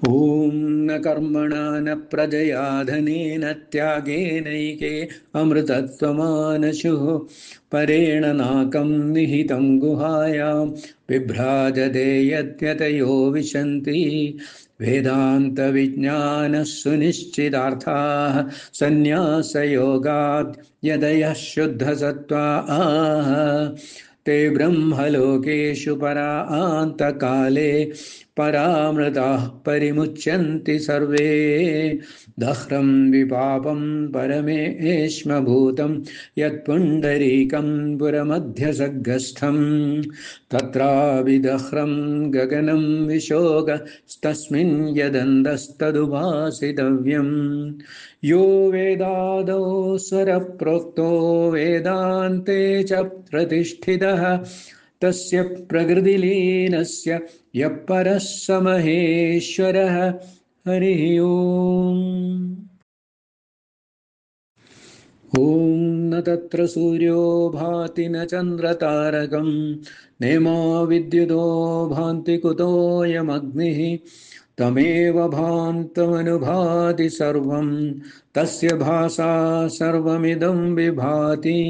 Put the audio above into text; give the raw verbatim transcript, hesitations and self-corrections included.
ॐ न कर्मणा न प्रजया धनेन त्यागेनैके अमृतत्वमानशुः परेण नाकं निहितं गुहायां बिभ्राजते यद्यतयो विशन्ति वेदान्तविज्ञानः सुनिश्चितार्थाः सन्न्यासयोगात् यदयः शुद्धसत्त्वाः ते ब्रह्मलोकेषु परान्तकाले परामृताः परिमुच्यन्ति सर्वे दह्रं विपापं परमेश्मभूतं यत्पुण्डरीकं पुरमध्यसग्रस्थं तत्राविदह्रं गगनं विशोकस्तस्मिन् यदन्तस्तदुपासितव्यम् यो वेदादौ स्वरप्रोक्तो वेदान्ते च प्रतिष्ठितः तस्य प्रकृतिलीनस्य यः परः स महेश्वरः हरिः ओम्। ॐ न तत्र सूर्यो भाति न चन्द्रतारकं नेमा विद्युतो भान्ति कुतोऽयमग्निः तमेव भान्तमनुभाति सर्वं तस्य भासा सर्वमिदं विभाति।